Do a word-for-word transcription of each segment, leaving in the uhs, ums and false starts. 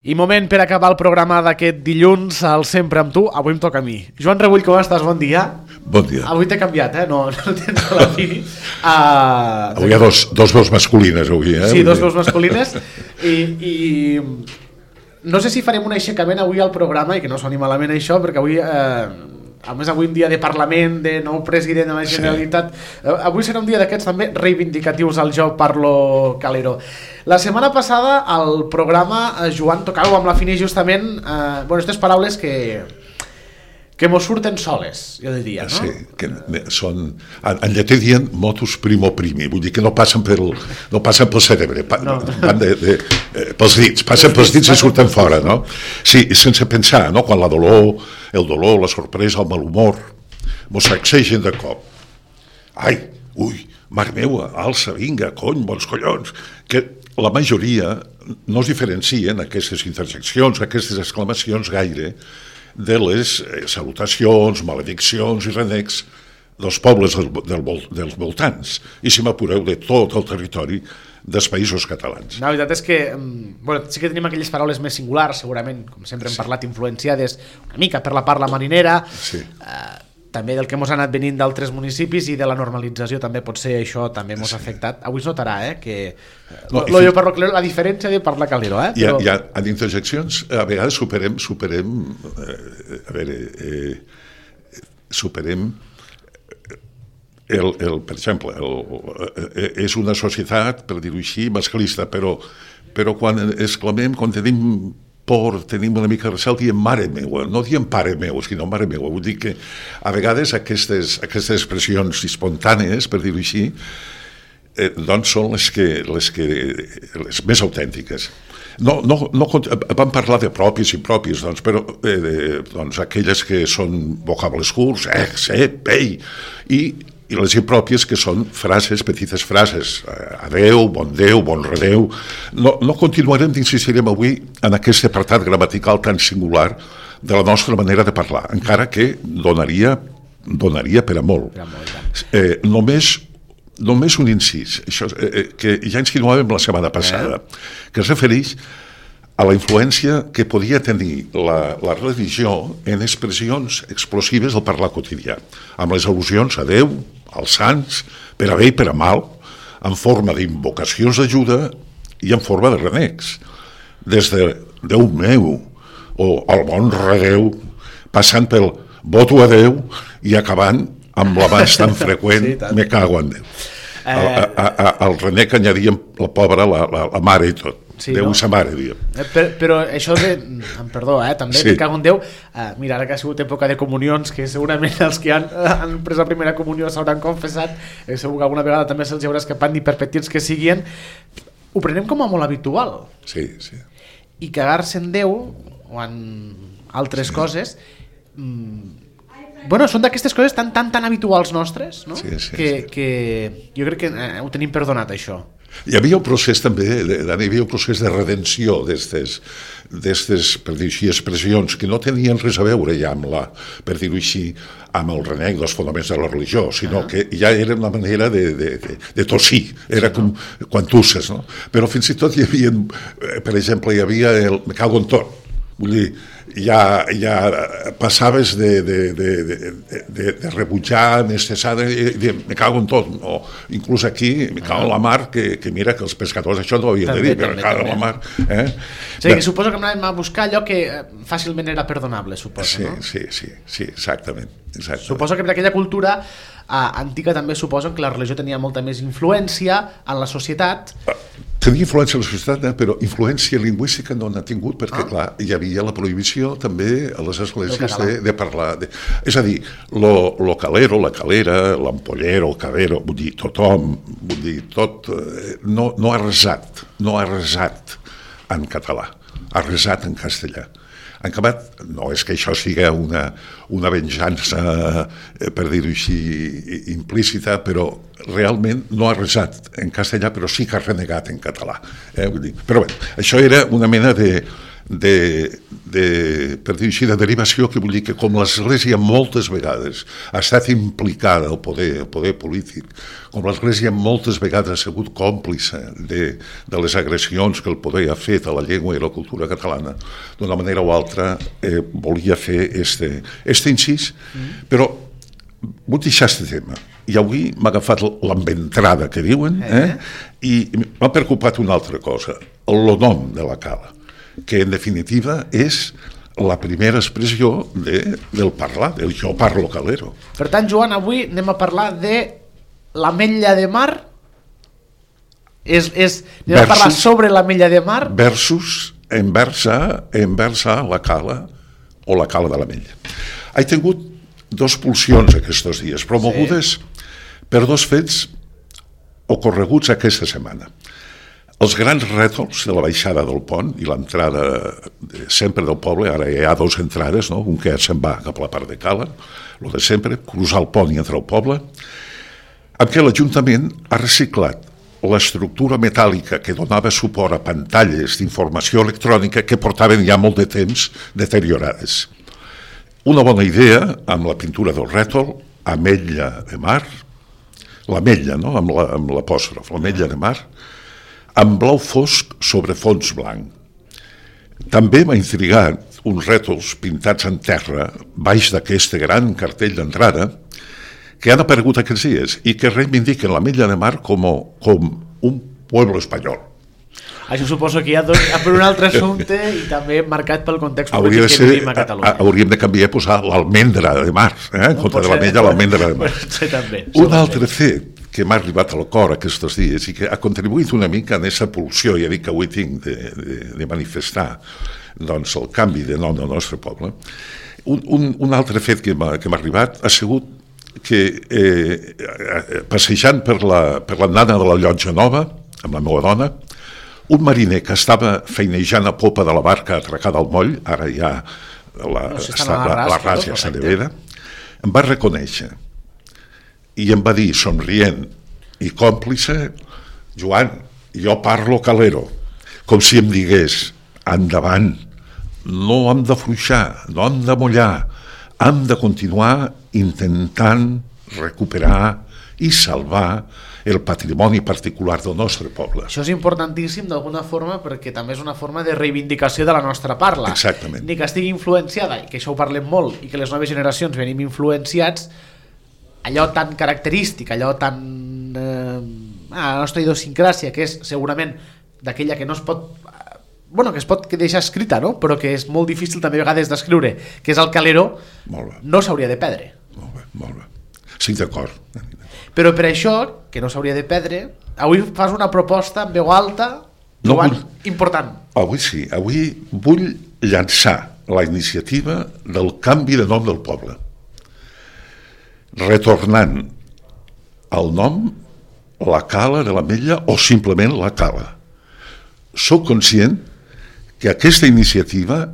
I moment per acabar el programa d'aquest dilluns, al Sempre amb tu, avui em toca a mi. Joan Rebull, com estàs? Bon dia. Bon dia. Avui t'he canviat, eh? No, no tens la fini. Uh, avui hi ha dos, dos veus masculines, avui, eh? Sí, dos veus masculines. I, I no sé si farem un aixecament avui al programa, i que no soni malament això, perquè avui... Eh, a més avui un dia de Parlament, de nou president de la Generalitat, sí. Avui serà un dia d'aquests també reivindicatius al Jo Parlo Calero. La setmana passada al programa Joan tocàveu amb la Fini justament eh, bueno, aquestes paraules que que mos surten soles, jo diria, no? Sí, que són, en, en llatí dient motus primo primi, vull dir que no passen pel, no passen pel cerebre, pa, no. van de, de, eh, pels dits, passen pels dits i surten fora, no? Sí, sense pensar, no? Quan la dolor, el dolor, la sorpresa, el malhumor, mos sacsegen de cop. Ai, ui, mare meua, alça, vinga, cony, bons collons, que la majoria no es diferencien aquestes interjeccions, aquestes exclamacions gaire, de les salutacions, malediccions i renecs dels pobles del, del, dels voltants, i si m'apureu de tot el territori dels països catalans. La veritat és que bueno, sí que tenim aquelles paraules més singulars, segurament, com sempre hem sí. parlat, influenciades una mica per la parla marinera, sí. eh, també del que mos ha anat venint d'altres municipis i de la normalització també pot ser això, també mos ha sí. afectat. Avui es notarà, eh, que no, lo, jo parlo calero, la diferència de parlar calero, eh? Però... Hi ha, hi ha, en interjeccions, a vegades superem, superem, eh, a veure, eh, superem el, el, per exemple, el, eh, és una societat, per dir-ho així, masclista, però, però quan exclamem, quan tenim por, tenim una mica de recel, diem mare meua, no diem pare meu, sinó mare meua. Vull dir que a vegades aquestes, aquestes expressions espontànies, per dir-ho així, eh, doncs són les que, les que les més autèntiques. No, no, no, vam parlar de propis i propis, doncs, però eh, doncs, aquelles que són vocables curts, eh, sé, pei, i i les impròpies que són frases, petites frases, adeu, bon Déu, bon redeu. No, no continuarem d'insistirem avui en aquest apartat gramatical tan singular de la nostra manera de parlar, encara que donaria, donaria per a molt. Eh, només, només un incís, això, eh, que ja insinuàvem la setmana passada, que es refereix a la influència que podia tenir la, la religió en expressions explosives del parlar quotidià, amb les al·lusions a Déu, als sants, per a bé i per a mal, en forma d'invocacions d'ajuda i en forma de renecs. Des de Déu meu, o el bon redeu, passant pel voto a Déu i acabant amb l'abans tan freqüent, sí, me cago en Déu. Eh... El, a, a, el renec anyaríem la pobra, la, la, la mare i tot. Sí, Déu no? Sa mare, diguem. Eh, però, però això de... Perdó, eh? També sí. Me cago en Déu. Eh, mira, ara que ha sigut època de comunions, que segurament els que han, han pres la primera comunió s'hauran confessat, eh, segur que alguna vegada també se'ls haurà escapat, ni per petits que siguin, ho prenem com a molt habitual. Sí, sí. I cagar-se en Déu, o en altres sí. coses... Mmm, bueno, són d'aquestes coses tan, tan, tan habituals nostres, no? Sí, sí, que, sí. que jo crec que eh, ho tenim perdonat, això. Hi havia un procés també, hi havia un procés de redenció d'aquestes, per dir-ho així, expressions que no tenien res a veure ja amb la, per dir-ho així, amb el renec dels fonaments de la religió, sinó uh-huh. que ja era una manera de, de, de, de tossir, era sí, com no? quan tusses, no? Però fins i tot hi havia, per exemple, hi havia el me cago en tot, vull dir, ja, ja passaves de, de, de, de, de, de rebutjar, necessar, de, de, me cago en tot, o inclús aquí, me cago en la mar, que, que mira que els pescadors això no ho havien també, de dir, també, me cago en la mar. Eh? O sigui, que suposo que anàvem a buscar allò que fàcilment era perdonable, suposo, sí, no? Sí, sí, sí, exactament. exactament. Suposo que per aquella cultura eh, antiga també suposo que la religió tenia molta més influència en la societat. Tenia influència en la societat, eh? Però influència lingüística no n'ha tingut, perquè, ah. clar, hi havia la prohibició també a les esglésies de, de parlar. De... És a dir, lo, lo calero, la calera, l'ampollero, el cabero, vull dir, tothom, vull dir, tot, eh, no, no ha resat, no ha resat en català, ha resat en castellà. En acabat, no és que això sigui una, una venjança, eh, per dir-ho així, implícita, però realment no ha resat en castellà, però sí que ha renegat en català. Eh? Vull dir, però bé, això era una mena de, de, de, per dir així, de derivació, que vull dir que com l'Església moltes vegades ha estat implicada al poder, el poder polític, com l'Església moltes vegades ha sigut còmplice de, de les agressions que el poder ha fet a la llengua i la cultura catalana, d'una manera o altra eh, volia fer este, este incís, mm. però vull deixar este tema. I avui m'ha agafat l'enventrada que diuen, eh? I m'ha preocupat una altra cosa, el nom de la cala, que en definitiva és la primera expressió de, del parlar, del jo parlo calero. Per tant, Joan, avui anem a parlar de l'ametlla de mar. És, és, anem versus, a parlar sobre l'ametlla de mar. Versus enversa, enversa la cala o la cala de l'ametlla. He tingut dos pulsions aquests dies, promogudes sí. per dos fets ocorreguts aquesta setmana. Els grans rètols de la baixada del pont i l'entrada de, sempre del poble, ara hi ha dues entrades, no? Un que se'n va cap a la part de cala, el de sempre, cruzar el pont i entrar al poble, amb què l'Ajuntament ha reciclat l'estructura metàl·lica que donava suport a pantalles d'informació electrònica que portaven ja molt de temps deteriorades. Una bona idea amb la pintura del rètol, ametlla de mar, l'ametlla, no? amb, la, amb l'apòstrof, l'ametlla de mar, amb blau fosc sobre fons blanc. També m'ha intrigat uns rètols pintats en terra baix d'aquest gran cartell d'entrada que han aparegut aquests dies i que reivindiquen l'ametlla de mar com, com un pueblo espanyol. Això suposo que hi ha, dos, per un altre assumpte i també marcat pel context polític que ser, vivim a Catalunya. Hauríem de canviar i posar l'almendra de mar, eh? en compte de l'ametlla, l'almendra de mar. També, un altre fet que m'ha arribat al cor aquests dies i que ha contribuït una mica en aquesta pulsió, ja dic que avui tinc de, de, de manifestar doncs, el canvi de nom del nostre poble, un, un, un altre fet que m'ha, que m'ha arribat ha sigut que eh, passejant per la, per l'andana de la Llotja Nova, amb la meva dona, un mariner que estava feinejant a popa de la barca atracada al moll, ara ja la, no, si està, la, la ras ja se nevera, em va reconèixer i em va dir, somrient i còmplice, Joan, jo parlo calero, com si em digués, endavant, no hem de fluixar, no hem de mullar, hem de continuar intentant recuperar i salvar el patrimoni particular del nostre poble. Això és importantíssim d'alguna forma perquè també és una forma de reivindicació de la nostra parla. Exactament. Ni que estigui influenciada, i que això ho parlem molt, i que les noves generacions venim influenciats, allò tan característic, allò tan... Eh, la nostra idiosincràsia, que és segurament d'aquella que no es pot... bueno, que es pot deixar escrita, no? Però que és molt difícil també a vegades d'escriure, que és el calero, no s'hauria de perdre. Molt bé, molt bé. Sí, d'acord. Però per això, que no s'hauria de perdre, avui fas una proposta en veu alta, Joan, no vull... important. Avui sí, avui vull llançar la iniciativa del canvi de nom del poble. Retornant al nom la cala de l'ametlla o simplement la cala. Soc conscient que aquesta iniciativa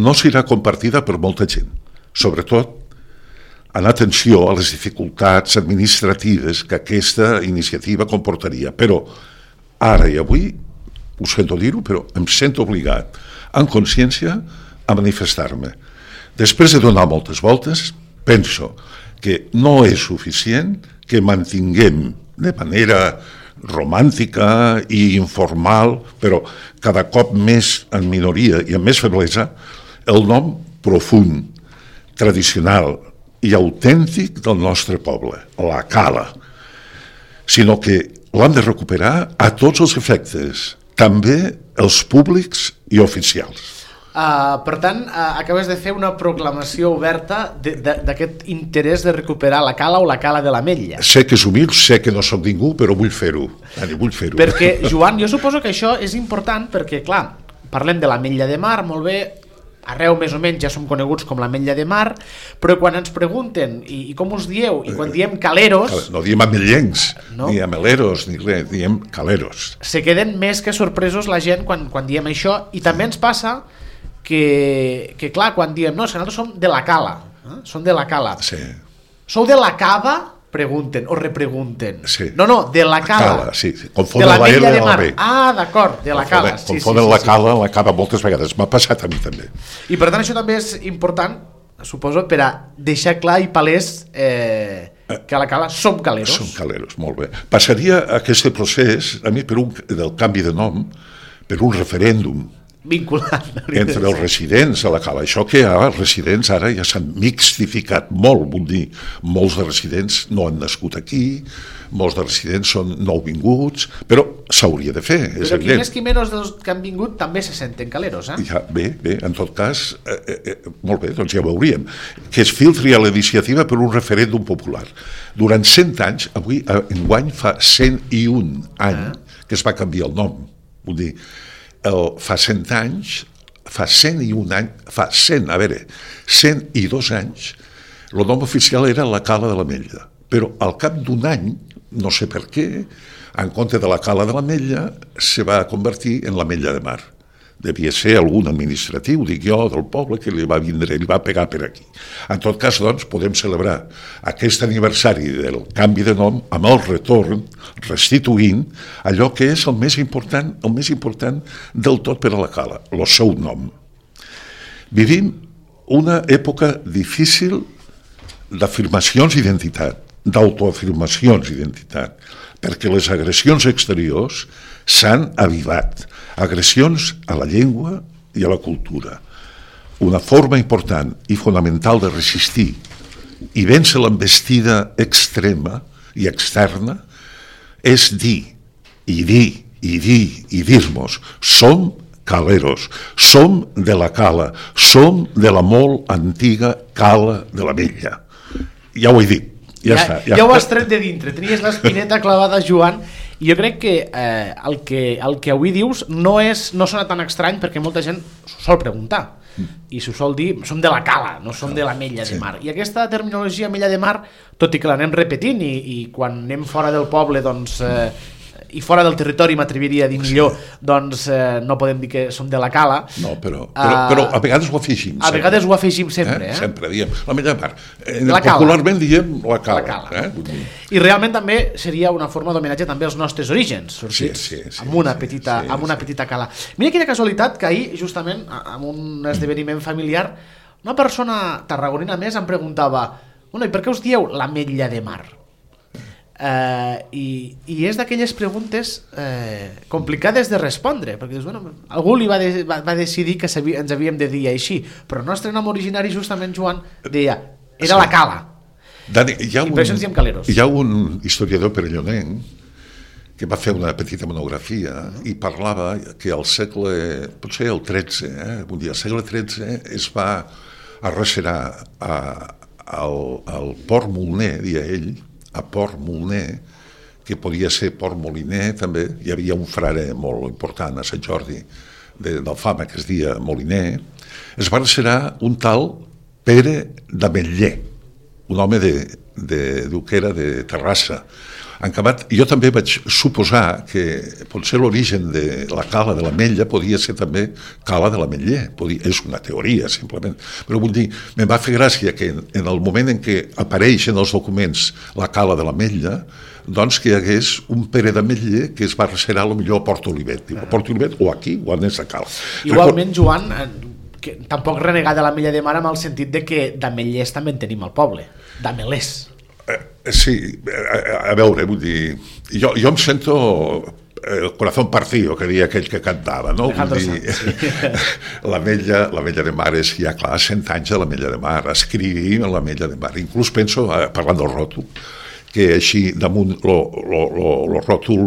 no serà compartida per molta gent, sobretot en atenció a les dificultats administratives que aquesta iniciativa comportaria. Però ara i avui, ho sento dir-ho, però em sento obligat, en consciència, a manifestar-me. Després de donar moltes voltes, penso que no és suficient que mantinguem de manera romàntica i informal, però cada cop més en minoria i amb més feblesa, el nom profund, tradicional i autèntic del nostre poble, la cala, sinó que l'hem de recuperar a tots els efectes, també els públics i oficials. Uh, per tant, uh, acabes de fer una proclamació oberta de, de, d'aquest interès de recuperar la cala o la cala de l'ametlla. Sé que és humil, sé que no soc ningú, però vull fer-ho. Vull fer-ho. Perquè, Joan, jo suposo que això és important perquè, clar, parlem de l'ametlla de mar, molt bé, arreu més o menys ja som coneguts com l'ametlla de mar, però quan ens pregunten i, i com us dieu, i quan diem caleros... No diem amellencs, no? Ni ameleros, ni res, diem caleros. Se queden més que sorpresos la gent quan, quan diem això, i també ens passa que, que clar, quan diem, no, és que nosaltres som de la cala, eh? Som de la cala. Sí. Sou de la cava, pregunten o repregunten. Sí. No, no, de la cala. Cala, sí. De Confonen la la L Mella de amb la Mar. B. Ah, d'acord, de la cala. Sí, Confonen sí, sí, la sí. cala amb la cava moltes vegades. M'ha passat a mi també. I per tant això també és important, suposo, per a deixar clar i palès eh, que a la cala som caleros. Som caleros, molt bé. Passaria aquest procés, a mi, per un, del canvi de nom, per un referèndum Vinculant. entre els residents a la cala. Això que ara els residents ara ja s'han mixtificat molt, vull dir, molts de residents no han nascut aquí, molts de residents són nouvinguts, però s'hauria de fer, és Però qui evident. més qui menys dels que han vingut també se senten caleros, eh? Ja, bé, bé, en tot cas, eh, eh, molt bé, doncs ja ho veuríem. Que es filtri a la iniciativa per un referèndum popular. Durant cent anys, avui, eh, enguany fa cent i un anys ah. que es va canviar el nom. Vull dir, el, fa cent anys, fa cent i un anys, fa cent, a veure, cent i dos anys, el nom oficial era la Cala de l'Ametlla, però al cap d'un any, no sé per què, en compte de la Cala de l'Ametlla, se va convertir en l'Ametlla de Mar. Devia ser algun administratiu, dic jo, del poble, que li va vindre, li va pegar per aquí. En tot cas, doncs, podem celebrar aquest aniversari del canvi de nom amb el retorn, restituint allò que és el més important, el més important del tot per a la cala, el seu nom. Vivim una època difícil d'afirmacions d'identitat, d'autoafirmacions d'identitat, perquè les agressions exteriors s'han avivat. Agressions a la llengua i a la cultura. Una forma important i fonamental de resistir i vèncer l'envestida extrema i externa és dir, i dir, i dir, i dir-nos, som caleros, som de la cala, som de la molt antiga cala de la Vella. Ja ho he dit. Ja, ja, està, ja. ja ho has tret de dintre, tenies l'espineta clavada, Joan, i jo crec que, eh, el que el que avui dius no, és, no sona tan estrany perquè molta gent s'ho sol preguntar i s'ho sol dir, som de la cala, no som de la Mella de Mar, i aquesta terminologia Mella de Mar, tot i que l'anem repetint i, i quan anem fora del poble doncs eh, i fora del territori m'atreviria a dir millor, doncs eh, no podem dir que som de la cala. No, però, però, uh, però a vegades ho afegim. A sempre. vegades ho afegim sempre. Eh? Eh? Sempre diem, la Mella de Mar. Eh, la popularment diem la cala. La cala. Eh? I realment també seria una forma d'homenatge també als nostres orígens, sortits sí, sí, sí, amb una, petita, sí, amb una sí. petita cala. Mira quina casualitat que ahir, justament, en un esdeveniment familiar, una persona tarragonina més em preguntava, bueno, i per què us dieu la Mella de Mar? Uh, i, i és d'aquelles preguntes uh, complicades de respondre perquè dius, bueno, algú li va, de, va, va decidir que ens havíem de dir així, però el nostre nom originari justament, Joan, deia era sí. la cala. Dani, hi ha i un, per això ens diem caleros. Hi ha un historiador perellonenc que va fer una petita monografia i parlava que al segle, potser el tretze, eh, un dia, al segle tretze es va arrecerar a, al, al Port Moliner, dia ell, a Port Moliner, que podia ser Port Moliner també, hi havia un frare molt important a Sant Jordi de, d'Alfama que es deia Moliner, es va arrecerar un tal Pere d'Ametller, un home de, de, diu que era de Terrassa. En acabat, jo també vaig suposar que potser l'origen de la cala de l'Ametlla podia ser també cala de l'Ametller, podia, és una teoria simplement, però vull dir, em va fer gràcia que en, en el moment en què apareix en els documents la cala de l'Ametlla, doncs que hi hagués un Pere d'Ametller que es va arrecerar potser a Port Olivet, a Port Olivet o aquí o a Nesa Cal. Igualment, Joan, que tampoc renegar de la Mella de Mar amb el sentit de que d'Ametllers també en tenim al poble, d'Amelers. Eh, sí, a, a veure, vull dir, jo, jo em sento el corazón partido, que deia aquell que cantava, no? Vull dir, sí. la, Mella, la Mella de Mar és ja clar, cent anys de la Mella de Mar, escrivim la Mella de Mar, inclús penso, parlant del ròtol, que així damunt el ròtol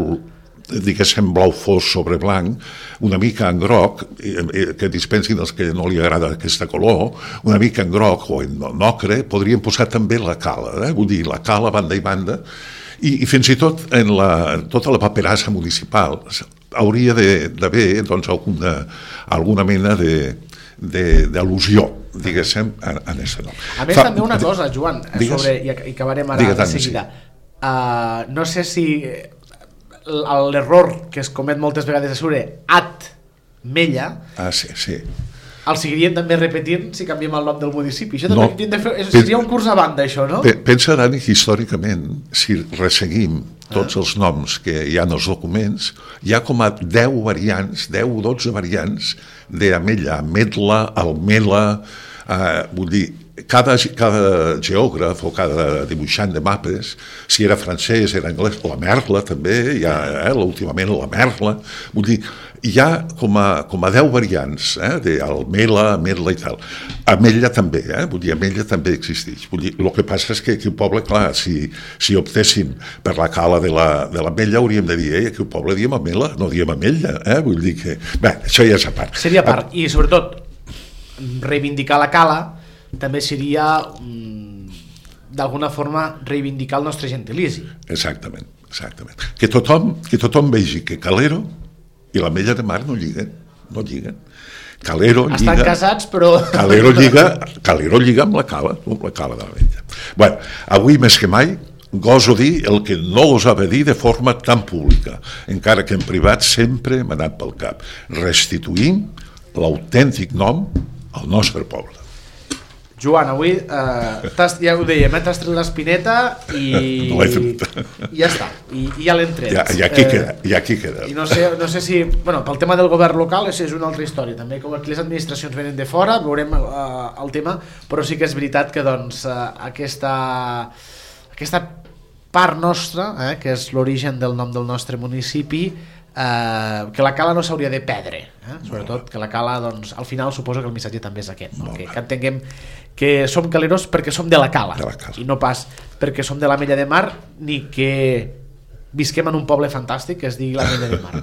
diguéssim blau fos sobre blanc, una mica en groc, que dispensin els que no li agrada aquesta color, una mica en groc o en ocre, podríem posar també la cala, eh? Vull dir, la cala banda i banda, i, i fins i tot en la, tota la paperassa municipal hauria d'haver doncs, alguna, alguna mena de, de, d'al·lusió, diguéssim, en aquest nom. A més, Fa, també una cosa, Joan, sobre, i acabarem ara de seguida. Sí. Uh, no sé si l'error que es comet moltes vegades és sobre at Mella. Ah, sí, sí. el seguiríem també repetint si canviem el nom del municipi. Això també No. hem de fer, seria un curs a banda, això, no? Pensa, Dani, que històricament, si resseguim tots els noms que hi ha en els documents, hi ha com a deu variants, deu o dotze variants d'Amella, Ametla, Almela, eh, vull dir, cada, cada geògraf o cada dibuixant de mapes, si era francès, era anglès, la Merla també, hi ha, eh, últimament la Merla, vull dir, hi ha com a, com a deu variants, eh, d'Almela, Ametla i tal. Amella també, eh, vull dir, Amella també existeix. Vull dir, el que passa és que aquí al poble, clar, si, si optéssim per la cala de la, de l'Amella, hauríem de dir, eh, aquí al poble diem Amela, no diem Amella, eh, vull dir que... Bé, això ja és a part. Seria a part, i sobretot, reivindicar la cala també seria, d'alguna forma, reivindicar el nostre gentilici. Exactament, exactament. Que tothom, que tothom vegi que Calero i l'Ametlla de Mar no lliguen, no lliguen. Calero lliga... Estan casats, però... Calero lliga, Calero lliga amb la cala, amb la cala de l'Ametlla. Bueno, avui més que mai goso dir el que no gosava dir de forma tan pública, encara que en privat sempre m'ha anat pel cap. Restituïm l'autèntic nom al nostre poble. Joan, avui eh, ja ho dèiem, eh, t'has tret l'espineta i, no i ja està, i, i ja l'hem tret. Ja, ja aquí eh, queda, ja aquí queda. I no sé, no sé si, bueno, pel tema del govern local és, és una altra història, també, com aquí les administracions venen de fora, veurem eh, el tema, però sí que és veritat que doncs eh, aquesta, aquesta part nostra, eh, que és l'origen del nom del nostre municipi, eh, que la cala no s'hauria de perdre, eh? Sobretot que la cala, doncs, al final suposo que el missatge també és aquest, no? que, que entenguem que som caleros perquè som de la cala, de la cala, i no pas perquè som de l'Amella de Mar ni que visquem en un poble fantàstic que es digui l'Amella de Mar.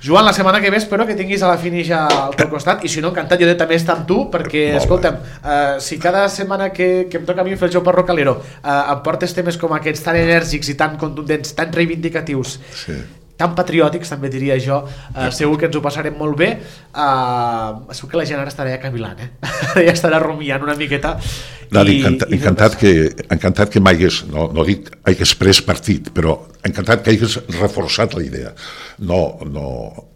Joan, la setmana que ve espero que tinguis a la finisha al teu costat, i si no, encantat jo de també estar amb tu, perquè, escolta'm, eh, si cada setmana que, que em toca a mi fer el joc parro calero eh, em portes temes com aquests tan enèrgics i tan contundents, tan reivindicatius, sí, tan patriòtics, també diria jo, eh, segur que ens ho passarem molt bé. Eh, segur que la gent ara estarà ja cavilant, eh? ja estarà rumiant una miqueta. Dani, encanta, i encantat, que, encantat que m'hagués, no, no dic hagués pres partit, però encantat que hagués reforçat la idea. No, no,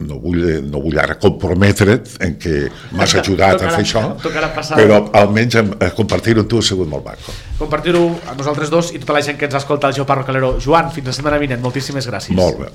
no, vull, no vull ara comprometre't en que m'has ajudat tocarà, a fer això, però almenys compartir-ho amb tu ha sigut molt maco. Compartir-ho a nosaltres dos i tota la gent que ens escolta al Joan Parro Calero. Joan, fins la setmana vinent, moltíssimes gràcies. Molt bé.